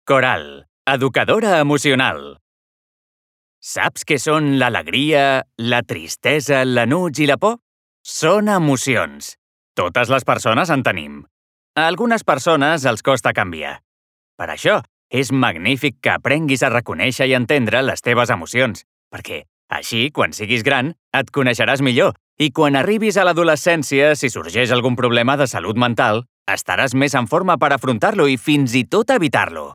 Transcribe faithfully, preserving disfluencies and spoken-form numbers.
Coral, educadora emocional. Saps què són l'alegria, la tristesa, l'enuig i la por? Són emocions. Totes les persones en tenim. A algunes persones els costa canviar. Per això, és magnífic que aprenguis a reconèixer i entendre les teves emocions, perquè, així, quan siguis gran, et coneixeràs millor i quan arribis a l'adolescència, si sorgeix algun problema de salut mental, estaràs més en forma per afrontar-lo i fins i tot evitar-lo.